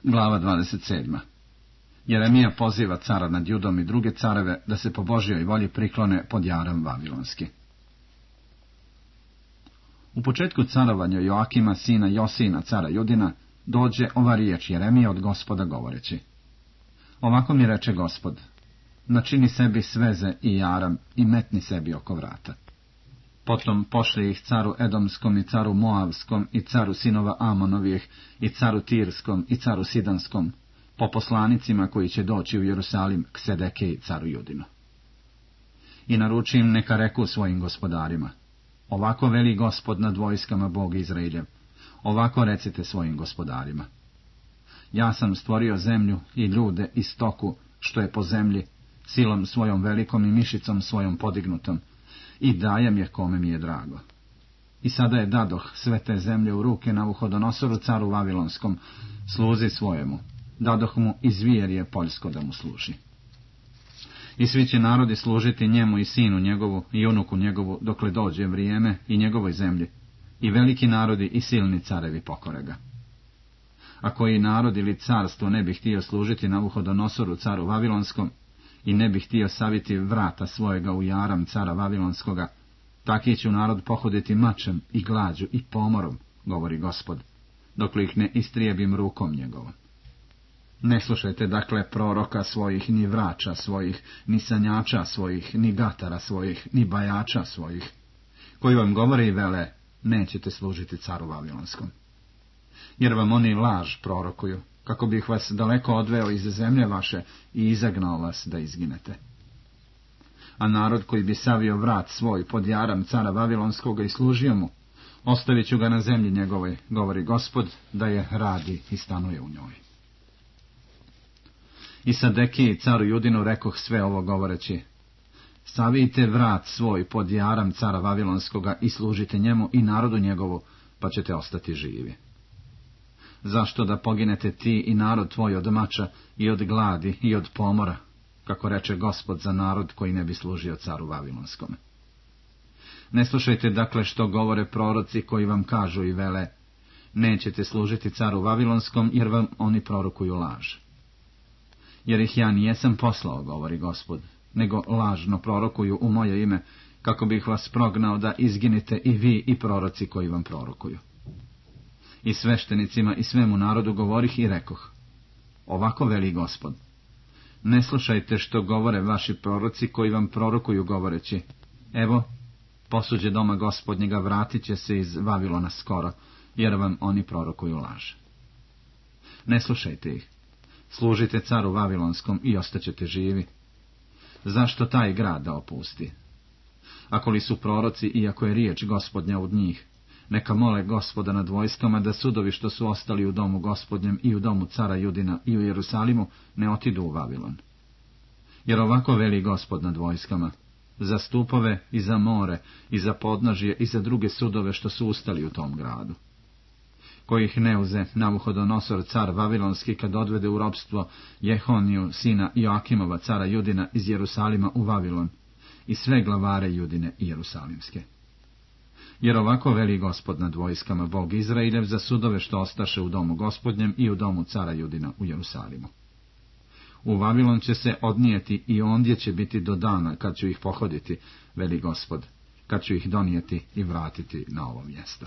Glava 27. Jeremija poziva cara nad Judom i druge careve da se po Božjoj volji priklone pod jaram vavilonski. U početku carovanja Joakima, sina Josina, cara Judina, dođe ova riječ Jeremija od Gospoda govoreći: Ovako mi reče Gospod, načini sebi sveze i jaram i metni sebi oko vrata. Potom pošli ih caru Edomskom i caru Moavskom i caru sinova Amonovih i caru Tirskom i caru Sidanskom, po poslanicima koji će doći u Jerusalim k Sedekeji caru Judinu. I naruči im neka reku svojim gospodarima: Ovako veli Gospod nad vojskama, Bog Izraeljev, ovako recite svojim gospodarima: Ja sam stvorio zemlju i ljude i stoku što je po zemlji, silom svojom velikom i mišicom svojom podignutom, i dajem je kome mi je drago. I sada je dadoh sve te zemlje u ruke Navuhodonosoru, caru Vavilonskom, sluzi svojemu, dadoh mu i zvjerje poljsko da mu služi. I svi će narodi služiti njemu i sinu njegovu i unuku njegovu, dokle dođe vrijeme, i njegovoj zemlji, i veliki narodi i silni carevi pokore ga. A koji narod ili carstvo ne bi htio služiti Navuhodonosoru, caru Vavilonskom, i ne bi htio saviti vrata svojega u jaram cara Vavilonskoga, taki će narod pohoditi mačem i glađu i pomorom, govori Gospod, dokle ih ne istrijebim rukom njegovom. Ne slušajte dakle proroka svojih, ni vrača svojih, ni sanjača svojih, ni gatara svojih, ni bajača svojih, koji vam govore i vele: nećete služiti caru Vavilonskom. Jer vam oni laž prorokuju, kako bih vas daleko odveo iz zemlje vaše i izagnao vas da izginete. A narod koji bi savio vrat svoj pod jaram cara Vavilonskoga i služio mu, ostavit ću ga na zemlji njegovoj, govori Gospod, da je radi i stanuje u njoj. I Sedekiji caru Judinu rekoh sve ovo govoreći: Savijte vrat svoj pod jaram cara Vavilonskoga i služite njemu i narodu njegovu, pa ćete ostati živi. Zašto da poginete ti i narod tvoj od mača i od gladi i od pomora, kako reče Gospod za narod koji ne bi služio caru Vavilonskome? Ne slušajte dakle što govore proroci koji vam kažu i vele: nećete služiti caru Vavilonskom, jer vam oni prorokuju laž. Jer ih ja nijesam poslao, govori Gospod, nego lažno prorokuju u moje ime, kako bih vas prognao da izginite i vi i proroci koji vam prorokuju. I sveštenicima i svemu narodu govorih i rekoh: Ovako veli Gospod, ne slušajte što govore vaši proroci koji vam prorokuju govoreći: Evo, posuđe doma Gospodnjega vratit će se iz Vavilona skoro, jer vam oni prorokuju laž. Ne slušajte ih, služite caru Vavilonskom i ostaćete živi. Zašto taj grad da opusti? Ako li su proroci i ako je riječ Gospodnja od njih, neka mole Gospoda nad vojskama da sudovi što su ostali u domu Gospodnjem i u domu cara Judina i u Jerusalimu ne otidu u Vavilon. Jer ovako veli Gospod nad vojskama: za stupove i za more i za podnožje i za druge sudove što su ustali u tom gradu. Kojih ne uze Navuhodonosor car Vavilonski kad odvede u ropstvo Jehoniju sina Joakimova cara Judina iz Jerusalima u Vavilon i sve glavare Judine i Jerusalimske. Jer ovako veli Gospod nad vojskama, Bog Izraeljev, za sudove što ostaše u domu Gospodnjem i u domu cara Judina u Jerusalimu. U Vavilon će se odnijeti i ondje će biti do dana kad ću ih pohoditi, veli Gospod, kad ću ih donijeti i vratiti na ovo mjesto.